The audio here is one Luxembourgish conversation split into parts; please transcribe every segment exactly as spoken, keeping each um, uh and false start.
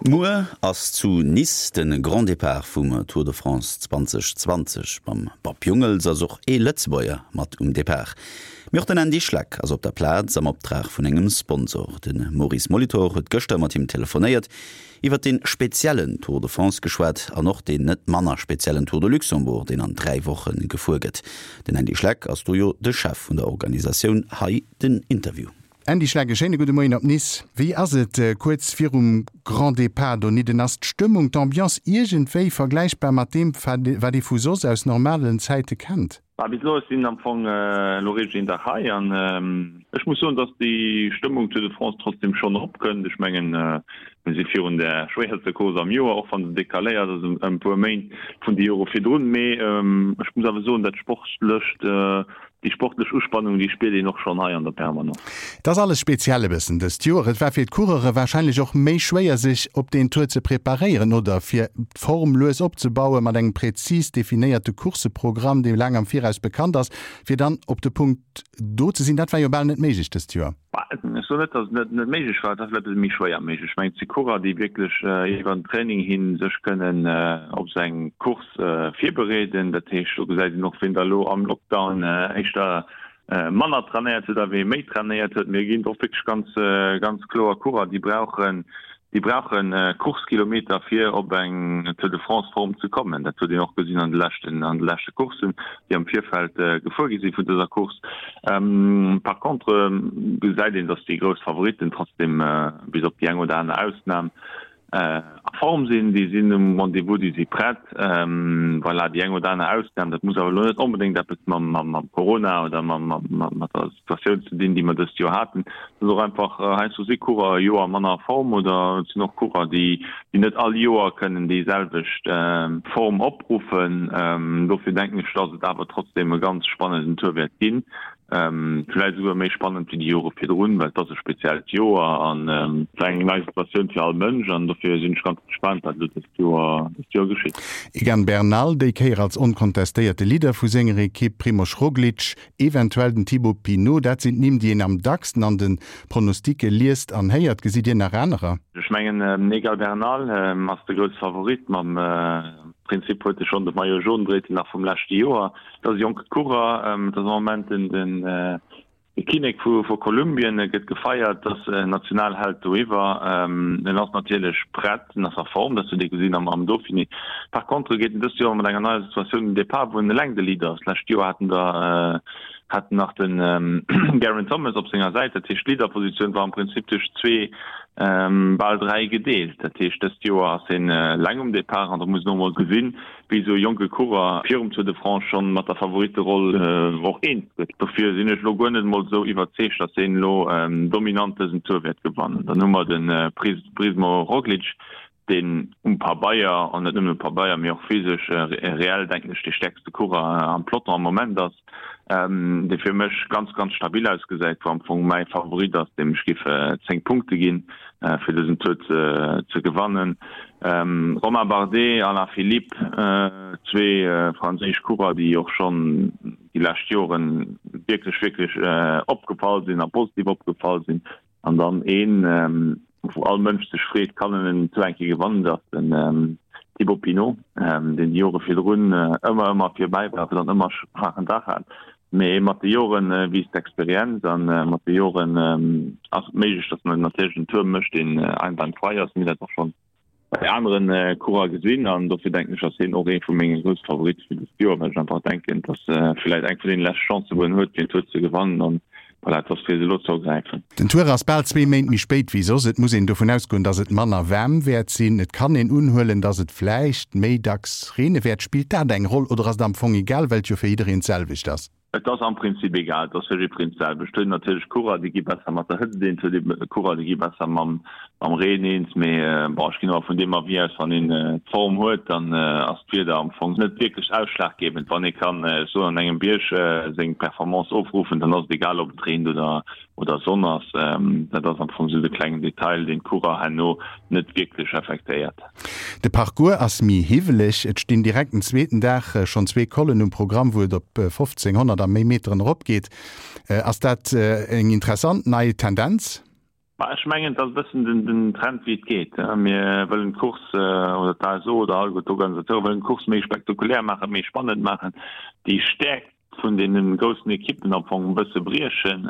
Muer ass zu Nice de Grand Départ vum Tour de France zwanzeg zwanzeg. Mam Bob Jungels ass och ee Lëtzebuerger mat um Depart. Mee och den Andy Schleck ass op der Plaz am Optrag vun engem Sponsor. De Maurice Molitor huet gëschter mat him telefonéiert, iwwer dee speziellen Tour de France geschwat an och deen net manner speziellen Tour de Luxembourg, deen an dräi Woche gefuer gëtt. Den Andy Schleck ass do jo de Chef vun der Organisatioun. Hei den Interview. Andy Schleck, e schéine gudde Moien op Nice. Wéi ass et kuerz virum Grand Départ donidden? Ass d'Stëmmung, d'Ambiance iergendwéi vergläichbar mat deem, wat ee vu soss aus normalen Zäite kennt? Bah, bis elo, ech sinn am Fong elo réischt een Dag hei an ech muss soen, dass déi Stëmmung Tour de France trotzdem schonn eropkënnt. Ech mengen, mir si virun der schwéierster Course am Joer, och wann se decaléiert ass ëm e puer Méint vun de Jore virdrun. Mee ech muss awer soen, dat Sportlecht, Déi sportlech Uspannung, déi spiert een och schonn hei an der Permanence. Et ass alles speziell e bëssen dëst Joer. Et war fir d'Coureure warscheinlech och méi schwéier, sech op deen Tour ze preparéieren oder fir d'Form lues opzebauen, mat engem präzis definéierte Courseprogramm, dee laang am Viraus bekannt ass, fir dann op de Punkt do ze sinn. Dat war jo bal net méiglech dëst Joer. Ech soen net, datt et net méiglech war, et ass vläicht e bësse méi schwéier méiglech. Ech mengen, et si Coureur, déi wierklech iwwer den Training hi sech kënnen op esou eng Course virbereeden. Dat heescht, do gesäit een och, wien da elo am Lockdown éischter manner trainéiert huet a wee méi trainéiert huet. Mir ginn och wierklech ganz, ganz kloer Coureur, déi brauchen, Déi brauche Course-Kilometer fir op eng Tour de France-Form ze kommen. Dat huet een och gesinn an de leschten an de leschte Courssen, déi am Virfeld gefuer gi si vun dëser Course. Par contre gesäit een, datt déi grouss Favoritten trotzdem, bis op déi eng oder aner Ausnam, a Form sinn. Déi sinn um Rendez-vous, déi si prett. Voilà, déi eng oder aner Ausnam, dat muss awer elo net onbedéngt eppes mam Corona oder mat der Situatioun ze dinn, déi mer dëst Joer haten. Et ass och einfach, heiansdo si Coureur e Joer manner a Form oder et sinn och Coureur, déi net all Joer kënnen déi selwecht Form opruffen. Dofir denken ech, dass et awer trotzdeem e ganz spannenden Tour wäert ginn, vläicht esouguer méi spannend wéi déi Jore virdrun, well et ass e speziellt Joer an et war eng nei Situatioun fir all Mënsch an dofir sinn ech ganz gespaant, wat elo dëst Joer dëst Joer geschitt. Egan Bernal, déi Kéier als onkontestéierte Leader vu senger Ekipp, Primož Roglič, Eventuell den Thibaut Pinot, dat sinn d'Nimm, déi een am dacksten an de Pronosticke liest an héiert. Gesitt Dir nach anerer? Ech mengen den Egan Bernal ass de grousse Favorit. Mam Prinzip huet e schonn de Maillot jaune dréit en nach vum leschte Joer. Et ass e jonke Coureur, et ass am Moment den De Kinnek vu Kolumbien gëtt gefeiert, ass Nationalheld doiwwer. En ass natierlech prett, en ass a Form, dat huet ee gesinn am Dauphiné. Par contre geet en dëst Joer mat enger neier Situatioun un den Depart, wou en eleng de Leader ass. D'lescht Joer hat en der hat en nach den Geraint Thomas op senger Säit. Dat heescht, d'Leaderpositioun war am Prinzip duerch zwee, bal dräi gedeelt. Dat heescht, dëst Joer ass en eleng um Depart an da muss een och mol gesinn, wéi esou e jonke Coureur virum Tour de France schonn mat der Favoritteroll och eens gëtt. Dofir sinn ech elo guer net emol esou iwwerzeegt, datt hien elo dominant dësen Tour wäert gewannen. Dann hu mer de Primož Roglič, deen um Pabeier, an net nëmmen um Pabeier, mee och physesch reell, denken ech, dee stäerkste Coureur am Peloton am Moment ass, dee fir mech ganz, ganz stabil ausgesäit, wou am Fong mäi Favorit ass, deem ech géif zéng Punkte ginn, fir dësen Tour ze gewannen. Romain Bardet, Alain Philippe, zwee franséisch Coureur, déi och schonn déi lescht Joren wierklech, wierklech opgefall sinn a positiv opgefall sinn. An dann een, wou all Mënsch sech freet, kann en en Tour eng Kéier gewannen, dat ass den Thibaut Pinot, deen déi Jore virdrun ëmmer, ëmmer virbäi war, awer dann ëmmer schwaachen Dag hat. Mee mat de Jore wiisst d'Experienz a mat de Joren ass et méiglech, datt en natierlech en Tour mécht, deen einwandfrei ass. Mir hunn dat och schonn bei anere Coureur gesinn an dofir denken ech, ass hien och ee vu menge grousse Favoritte fir dëst Joer, well ech einfach denken, datt vläicht eng vun deene leschte Chancen, wou en huet, fir en Tour ze gewannen an voilà, et ass fir se elo ze ergräifen. Den Tour ass bal zwee Méint méi spéit wéi soss. Et muss een dovun ausgoen, datt et manner waarm wäert sinn. Et kann een unhuelen, datt et vläicht méi dacks reene wäert. Spillt dat eng Roll oder ass et am Fong egal, well et jo fir jiddereen d'selwecht ass? Et ass am Prinzip egal, et ass fir jiddwereen d'selwecht. Et huet een natierlech Coureur, déi gi besser mat der Hëtzt eens, et huet ee Coureur, déi gi besser mam Reen eens. Mee bon, ech ginn awer vun deem Avis aus, wann een d'Form huet, dann ass d'Wieder am Fong net wierklech ausschlaggebend. Wann ee kann, ech soen, an engem Bierg seng Performance ofruffen, dann ass et egal, ob et reent oder oder Sonn ass. Dat ass am Fong esou de klengen Detail, deen d'Coureur herno net wierklech affektéiert. De Parcours ass méi hiwweleg. Et stinn direkt den zweeten Dag schonn zwee Collen um Programm, wou et op fofzénghonnert a méi Meteren eropgeet. Ass dat eng interessant nei Tendenz? Ech mengen, et ass e bëssen den Trend, wéi et geet. Mir wëllen d'Course, oder d'ASO oder alleguer d'Organisateure wëllen d'Course méi spektakulär maachen, méi spannend maachen, déi Stäerkt vun deene groussen Ekippen am Fong e bësse briechen.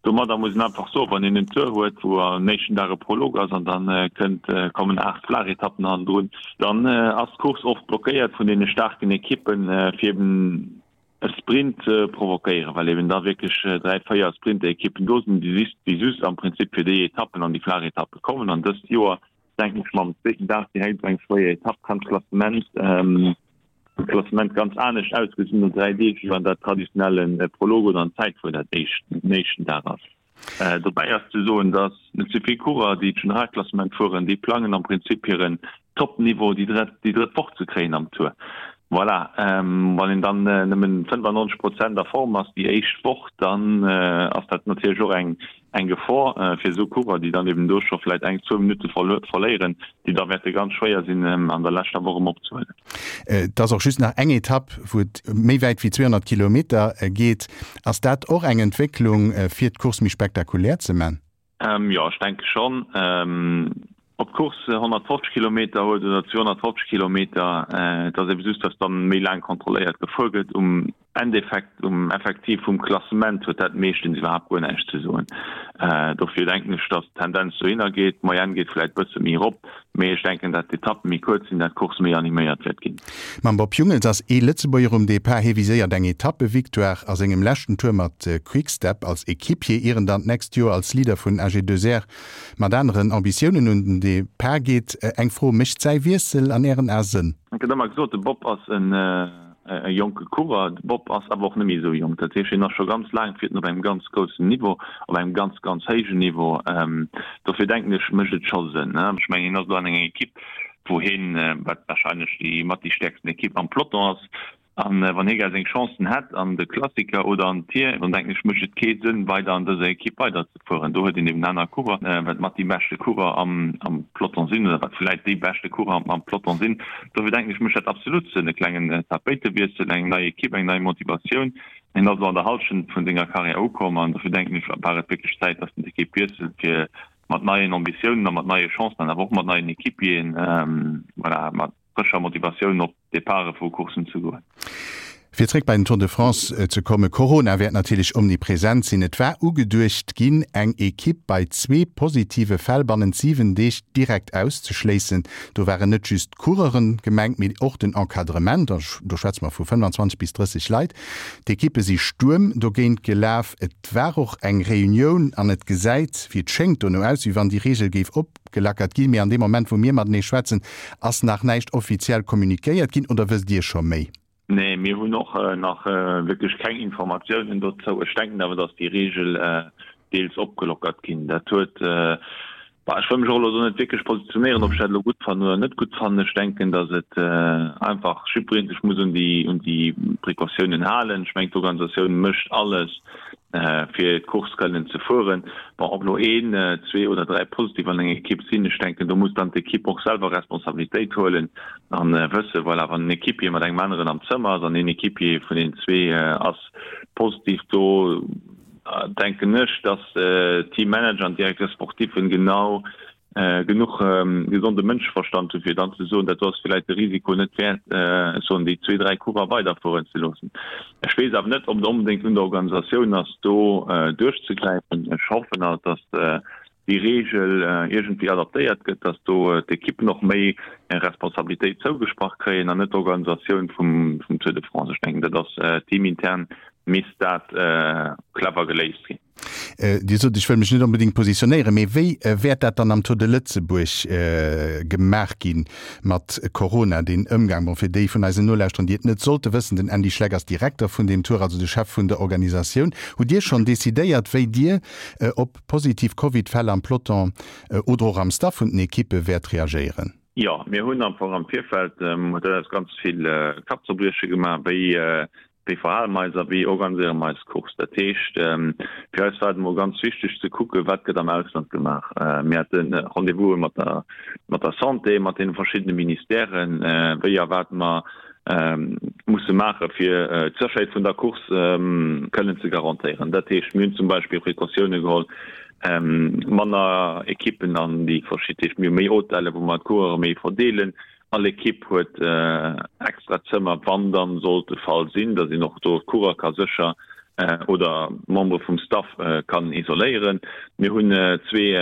Domadder muss een einfach soen, wann een en Tour huet, wou am éischten Dag e Prolog ass an da kënnt, kommen aacht flaach Etappen hannendrun, dann ass d'Course oft blockéiert vun deene staarken Ekippen, fir eben e Sprint provokéieren, well eben da wierklech dräi, véier Sprinterekippen do sinn, déi just, déi just am Prinzip fir déi Etappen an déi flaach Etappe kommen. An dëst Joer, denken ech, mam zweeten Dag direkt esou eng schwéier Etapp, kann d'Klassement, d'Klassement ganz anescht ausgesinn no dräi Deeg, wéi wann dat traditionelle Prolog oder en Zäitfuer dat éischt, den éischten Dag ass. Dobäi ass ze soen, datt net ze vill Coureur, déi d'Generalklassement fueren, déi plangen am Prinzip hiren Top-Niveau déi drëtt déi drëtt Woch ze kréien am Tour. Voilà, wann een dann nëmmen fënnefannonzeg Prozent a Form ass déi éischt Woch, dann ass dat natierlech och eng eng Gefor fir esou Coureur, déi dann eben do scho vläicht eng, zwou Minutte verléieren, déi da wäerte ganz schwéier sinn an der leschter Woch erëm opzehuelen. Et ass och just nach eng Etapp, wou et méi wäit wéi zweehonnert Kilometer geet. Ass dat och eng Entwécklung, fir d'Course méi spektakulär ze man? Jo, ech denke schonn. Ob d'Course honnertfofzeg Kilometer huet oder zweehonnertfofzeg Kilometer, et ass ebe just, datt dann méi laang kontrolléiert gefuer gëtt. Um Endeffekt, um Effektiv vum Klassement huet dat meeschtens iwwerhaapt guer näischt ze soen. Dofir denken ech, datt d'Tendenz dohinner geet. D'Moyenne geet vläicht bësse méi erop, mee ech denken, datt d'Etappe méi kuerz sinn, datt d'Course méi animéiert wäert ginn. Mam Bob Jungels ass ee Lëtzebuerger um Depart. Hie viséiert eng Etappevictoire a sengem leschten Tour mat Quick-Step als Equipier, ier en dann d'nächst Joer als Leader vun A G deux R mat aneren Ambitiounen un den Depart geet. Eng Fro, Mécht säi Wiessel an Ären Ae Sënn? Et gëtt ëmmer gesot, de Bob ass en jonke Coureur. De Bob ass awer och net méi esou jonk. Dat heescht, hien ass scho ganz laang, fiert en op engem ganz groussen Niveau, op engem ganz, ganz héijen Niveau. Dofir denken ech, mécht et scho Sënn. Ech mengen, hien ass elo an enger Ekipp, wou hien, wat warscheinlech déi mat déi stäerksten Ekipp am Peloton ass. An wann hie gär seng Chancen hätt an de Klassiker oder an d'Tier, dann denken ech, mécht et kee Sënn, weider an dëser Ekipp weiderzefueren. Do huet een eben aner Coureur, wat mat déi beschte Coureur am Peloton sinn oder wat vläit déi beschte Coureur am Peloton sinn. Dofir denken ech, mécht dat absolut Sënn, e klengen Tapéitewiessel, eng nei Ekipp, eng nei Motivatioun. Hien ass elo an der Hallschent vun senger Karriär ukomm an dofir denken ech, war et wierklech Zäit, datt en d'Ekipp wiesselt, fir mat neien Ambitiounen a mat neie Chancen an awer och mat neien Equipieren, voilà, mat frëscher Motivatioun op Departe vu Courssen ze goen. Fir zréck bei den Tour de France ze kommen, Corona wäert natierlech omnipresent sinn. Et war ugeduecht ginn, eng Ekipp bei zwee positive Fäll bannent siwen Deeg direkt auszeschléissen. Do waren net just d'Coureuren gemengt, mee och den Encadrement, do schwätze mer vu fënnfanzwanzeg bis drësseg Leit. D'Ekippe si Stuerm dogéint gelaf. Et war och eng Reunioun an et gesäit, wéi et schéngt, dono aus, wéi wann déi Reegel géif op. Gelackert ginn. Mee an deem Moment, wou mir matenee schwätzen, ass nach näischt offiziell kommunikéiert ginn. Oder wësst Dir scho méi? Nee, mir hunn och nach wierklech keng Informatiounen dozou. Ech denken awer, datt déi Reegel deels opgelockert ginn. Dat huet, bah, ech wëll mech och elo do net wierklech positionéieren, ob ech dat elo gutt fannen oder net gutt fannen. Ech denken, datt et einfach jiddweree sech muss un déi, un déi Precautiounen halen. Ech mengen, d'Organisatioun mécht alles, fir d'Course kënnen ze fueren. Bon, ob elo een, zwee oder dräi positiv an enger Ekipp sinn, ech denken, do muss dann d'Ekipp och selwer Responsabilitéit huelen an wëssen, voilà, wann en Equipier mat engem aneren am Zëmmer ass an een Equipier vun den zwee ass positiv, do denken ech, dass d'Teammanager an d'Directeurs sportifen genau genuch gesonde Mënscheverstand hunn, fir dann ze soen, dat do ass vläicht de Risiko net wäert, ech soen, déi zwee, dräi Coureur weiderfueren ze loossen. Ech weess awer net, ob et onbedéngt un der Organisatioun ass, do duerchzegräifen. Ech hoffen alt, datt déi Reegel iergendwéi adaptéiert gëtt, datt do d'Ekippen och méi Responsabilitéit zougesprach kréien an net d'Organisatioun vum Tour de France. Ech denken, dat ass teamintern misst dat clever geléist ginn. Dir sot, ech wëll mech net onbedéngt positionéieren, mee wéi wäert dat dann am Tour de Lëtzebuerg gemaach gi mat Corona, deen Ëmgang? Bon, fir déi vun eisen Nolauschterern, déi et net sollte wëssen, den Andy Schleck ass Direkter vun deem Tour, also de Chef vun der Organisatioun. Hutt Dir schonn decidéiert, wéi Dir op positiv Covid-Fäll am Peloton oder och am Staff vun den Ekippe wäert reagéieren? Jo, mir hunn am Fong am Virfeld, huet dat eis ganz vill Kappzerbrieche gemaach, wéi Wéi verhale mer eis a wéi organiséiere mer eis Course? Dat heescht, fir eis war et emol ganz wichteg ze kucken, wat gëtt am Ausland gemaach. Mir hate Rendez-vouse mat der, mat der Santé, mat deene verschiddene Ministèren, wéi a wat mer musse maache fir d'Sécherheet vun der Course kënnen ze garantéieren. Dat heescht, mir hunn zum Beispill Precautioune geholl, Manner Ekippen an déi verschidde, mir hu méi Hotelle wou mer d'Coureure méi verdeelen. All Ekipp huet extra Zëmmer, wann dann sollt e Fall sinn, datt een och do d'Coureur ka sécher oder Membere vum Staff kann isoléieren. Mir hunn zwee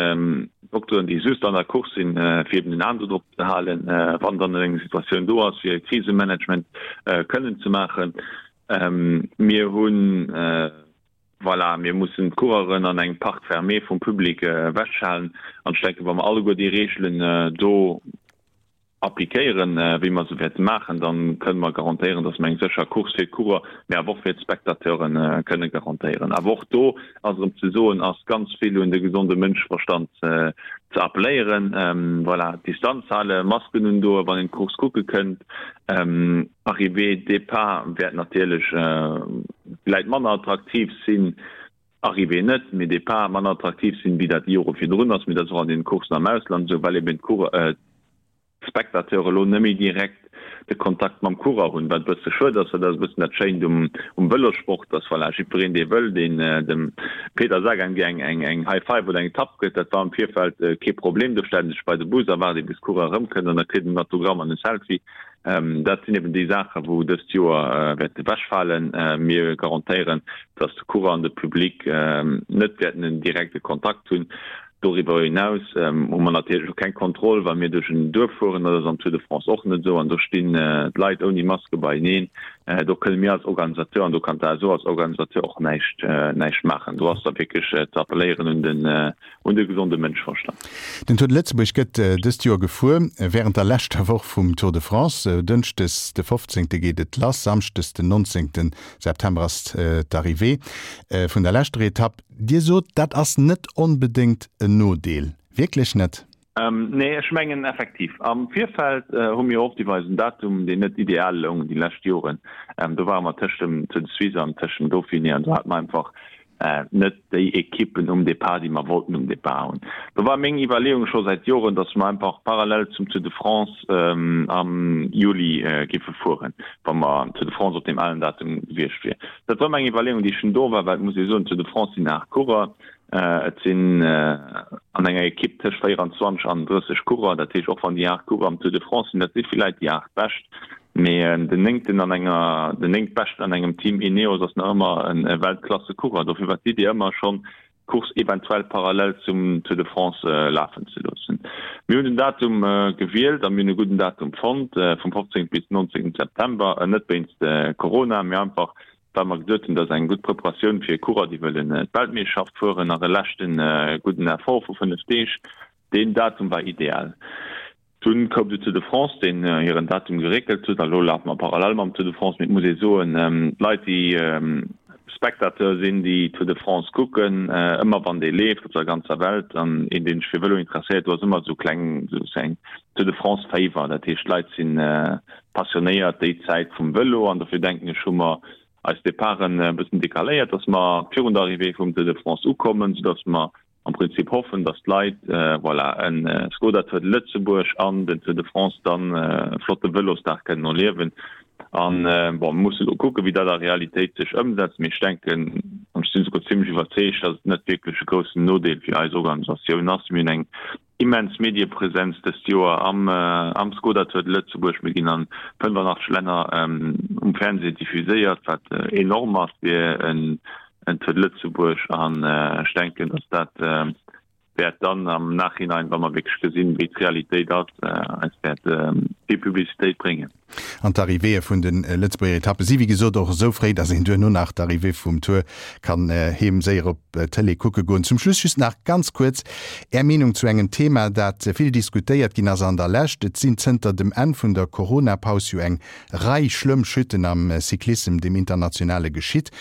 Dokteren, déi just an der Course sinn, fir eben en An do drop ze halen, wann dann eng Situatioun do ass, fir Krisemanagement kënnen ze maachen. Mir hunn, voilà, mir mussen d'Coureuren an engem Parc fermé vum Public ewechhalen. An ech denken, wa mer alleguer déi Reegelen do appliquéieren, wéi mer se wäerte maachen, da kënne mer garantéieren, dass mer eng sécher Course fir d'Coureur, mä awer och fir d'Spectateure kënne garantéieren. Awer och do ass erëm ze soen, ass ganz vill un de gesonde Mënscheverstand ze appelléieren. Voilà, Distanz halen, Masken undoen, wann een d'Course kucke kënnt. Arrivée, Départ wäert natierlech vläit manner attraktiv sinn, Arrivée net, mee Départ manner attraktiv sinn, wéi dat déi Jore virdrun ass. Mee dat ass och an den Coursen am Ausland esou, well eben d'Coureur, d'Spectateure elo net méi direkt de Kontakt mam Coureur hunn, wat e bësse schued ass, well dat ass e bëssen dat Schéint um Vëlossport, dass voilà, jiddwereen, dee wëll, deen dem Peter Sagan gär eng eng High Five oder eng Tapp gëtt, dat war am Virfeld kee Problem. Do stellt en sech bei de Bus a waart ee bis Coureur erëmkënnt an da kritt en en Autogramm an e Selfie. Dat sinn eben déi Saachen, wou dëst Joer wäerte ewechfalen. Mir garantéieren, dass de Coureur an de Public net wäerten en direkte Kontakt hunn. Doriwwer hinaus hu mer natierlech och keng Kontroll, wa mir duerch en Duerf fueren. Dat ass am Tour de France och net esou. An do stinn d'Leit ouni Maske beieneen. Do kënne mir als Organisateur an do kann d'ASO als Organisateur och näischt, näischt maachen. Do ass da wierklech ze appelléieren un den, un de gesonde Mënscheverstand. Den Tour de Lëtzebuerg gëtt dëst Joer gefuer wärend der leschter Woch vum Tour de France. Dënschdes de fofzéngte geet et lass, samschdes den nonzéngte September ass d'Arrivée vun der leschter Etapp. Dir sot, dat ass net onbedéngt en Nodeel. Wierklech net? Nee, ech mengen effektiv. Am Virfeld hu mir oft iwwer eisen Datum, deen net ideal loung déi lescht Joren, do ware mer tëscht dem Tour de Suisse an tëscht dem Dauphiné an do hate mer einfach net déi Ekippen um Depart, déi mer wollten um Depart hunn. Do war meng Iwwerleeung scho säit Joren, datt mer einfach parallel zum Tour de France am Juli géife fueren, wa mer Tour de France op deem alen Datum gewiescht wier. Dat war meng Iwwerleeung, déi schonn do war, well et muss ee soen, Tour de France sinn aacht Coureur, et sinn an enger Ekipp tëscht véierundzwanzeg an drësseg Coureur. Dat heescht, och wann déi aacht Coureur am Tour de France sinn, dat si villäit déi aacht bescht, mee den néngten an enger, den néngtbeschten an engem Team Ineos ass nach ëmmer e Weltklasse-Coureur. Dofir war d'Idee ëmmer schonn, d'Course eventuell parallel zum Tour de France lafen ze loossen. Mir hunn den Datum gewielt a mir hunn e gudden Datum fonnt, vum fofzéngten bis nonzéngten September, net wéinst Corona, mee einfach well mer geduet hunn, dass eng gutt Preparatioun fir Coureur, déi wëllen d'Weltmeeschterschaft fueren, nach e leschte gudden Effort vu fënnef Deeg, deen Datum war ideal. Dunn koum de Tour de France, deen hiren Datum geréckelt huet, a lo lafe mer parallel mam Tour de France. Mee et muss ee soen, d'Leit, déi Spectateur sinn, déi Tour de France kucken, ëmmer wann dee leeft op der ganzer Welt, an een, dee sech fir Vëlo interesséiert, do ass ëmmer esou kleng esou eng Tour de France Féiwer. Dat heescht, d'Leit si passionéiert déi Zäit vum Vëlo, an dofir denken ech, hu mer eis Departen e bëssen decaléiert, dass mer virun der Arrivée vum Tour de France ukommen, soudass mer am Prinzip hoffen, dass d'Leit, voilà, en Skoda Tour de Lëtzebuerg an den Tour de France dann e flotte Vëlosdag kënnen erliewen. An, bon, mir musse elo kucken, wéi dat a Realitéit sech ëmsetzt, mee ech denken, an ech sinn esouguer zimlech iwwerzeegt, dass et net wierklech e groussen Nodeel fir eis Organisatioun ass. Mir hunn eng immens Mediepresenz dëst Joer am am Skoda Tour de Lëtzebuerg. Mir ginn an fënnefenachtzeg Länner um Fernseh diffuséiert, wat enorm ass fir en en Tour de Lëtzebuerg. An ech denken, datt dat wäert dann am Nachhinein, wa mer wierklech gesinn, wéi d'Realitéit ass, eis wäert vill Publicitéit bréngen. An d'Arrivéeë vun de Lëtzebuerger Etappe si wéi gesot och esou fréi, datt een duerno nach d'Arrivée vum Tour kann heem séier op d'Tëlee kucke goen. Zum Schluss just nach ganz kuerz Är Meenung zu engem Thema, dat vill diskutéiert ginn ass an der Lescht. Et sinn zënter dem Enn vun der Corona-Paus jo eng Rei schlëmm Chutten am Cyclissem, dem internationale, geschitt.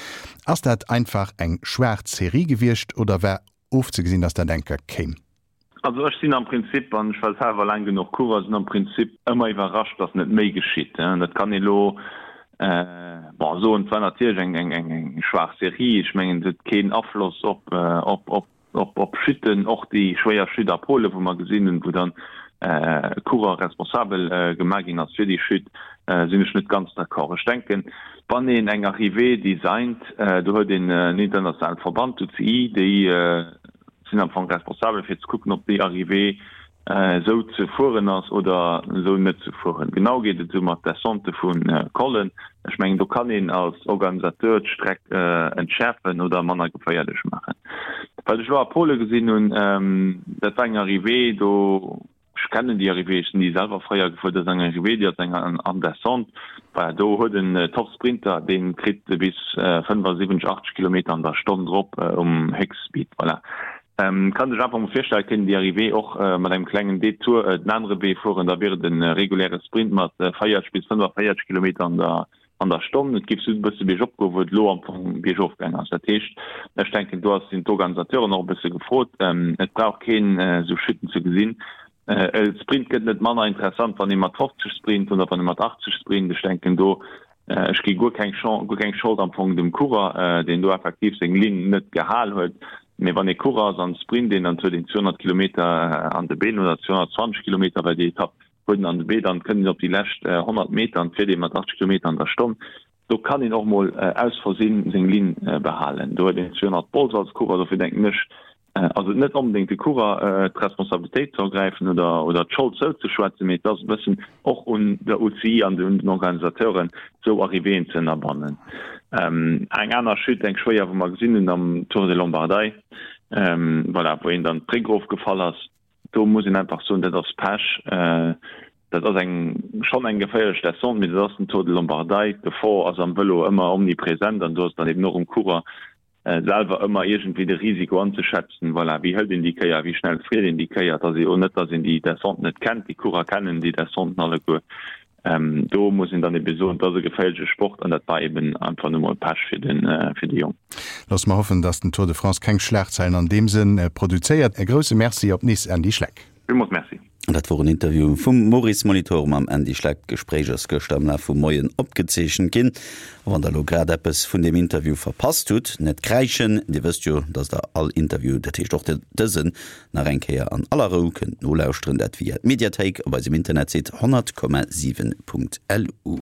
Ass dat einfach eng schwaarz Serie gewiescht oder war ofzegesinn, datt dat eng Kéier kéim? Also ech sinn am Prinzip, an ech war selwer laang genuch Coureur, sinn am Prinzip ëmmer iwwerrascht, datt net méi geschitt. Dat kann ee lo, bon, soen, et war natierlech eng, eng, eng, eng schwaach Serie. Ech mengen, et huet keen Afloss op, op, op, op, op Chutten, och déi schwéier Chute a Polen, wou mer gesinn hunn, wou dann e Coureur responsabel gemaach ginn ass fir déi Chute, sinn ech net ganz d'accord. Ech denken, wann een eng Arrivée designt, do huet een en internationale Verband, d'UCI, déi, sinn am Fong responsabel fir ze kucken, ob déi Arrivée esou ze fueren ass oder esou net ze fueren. Genau geet et esou mat Descentë vu Collen. Ech mengen, do kann een als Organisateur d'Streck entschäerfen oder manner geféierlech maachen. Wat ech elo a Pole gesinn hunn, dat war eng Arrivée, do, ech kennen déi Arrivée, ech sinn déi selwer fréier gefuer, dat ass eng Arrivée, déi ass eng an Descente. Voilà, do huet en Top-Sprinter, dee kritt bis fënnefasiwwenzeg, achtzeg Kilometer an der Stonn drop um Héchstspeed. Voilà. Kann sech einfach mol virstellen, et kéint een déi Arrivée och mat engem klengen Detour den anere Wee fueren, da wier et e reguläre Sprint mat véierzeg bis fënnefaféierzeg Kilometer an der an der Stonn. Et géif esou e bësse biergop goen, wou et elo am Fong biergof gaang ass. Dat heescht, ech denken, do ass sinn d'Organisateuren och e bësse gefrot. Et brauch keen esou Chuten ze gesinn. E Sprint gëtt net manner interessant, wann ee mat fofzeg sprint oder wann ee mat achtzeg sprint. Ech denken do, ech gi guer keng Chance, guer keng Schold am Fong dem Coureur, deen do effektiv seng Linn net gehal huet. Mee wann ee Coureur ass an sprint een, dann huet een zweehonnert Kilometer an de Been oder zweehonnertzwanzeg Kilometer bei déi Etapp huet en an de Been, dann kënnt een op déi lescht honnert Meter an fiert ee mat achtzeg Kilometer an der Stonn. Do kann een och mol aus Versinn seng Linn behalen. Do huet een zweehonnert Bols als Coureur. Dofir denken ech, ass et net onbedéngt de Coureur d'Responsabilitéit ze ergräifen oder oder d'Schold zouzeschwätzen, mee et ass e bëssen och un der U C I an un den Organisateuren, esou Arrivéeën ze ënnerbannen. Eng aner Chute, eng schwéier, wou mer gesinn hunn am Tour de Lombardei, voilà, wou een dann d'Bréck erofgefall ass, do muss een einfach soen, dat ass Pech. Dat ass eng schonn eng geféierlech Descente, mee dat ass den Tour de Lombardei. D'Gefor ass am Vëlo ëmmer omnipresent an do ass dann eben och um Coureur selwer ëmmer iergendwéi de Risiko anzeschätzen, voilà, wéi hëlt een déi Kéier, wéi schnell friert een déi Kéier. Et ass jo net, datt een déi Descente net kennt, déi Coureur kennen déi Descenten alleguer. Do muss een dann ebe soen, et ass e geféierleche Sport an dat war eben einfach nu mol Pech fir den, fir de Jong. Loosse mer hoffen, datt den Tour de France keng Schlagzeilen an deem Sënn produzéiert. E grousse Merci op Nice, Andy Schleck. Villmools Merci. Dat wor en Interview vum Maurice Molitor mam Andy Schleck. D'Gespréich ass gëschter am Laf vum Moien opgezeechent ginn. A wann der elo grad eppes vun deem Interview verpasst hutt, net kräischen, Dir wësst jo, dass der all Interview, dat heescht och dësen, nach eng Kéier an aller Rou kënnt nolauschteren, dat via d'Mediathéik op eisem Internetsite honnert Komma siwen Punkt lu.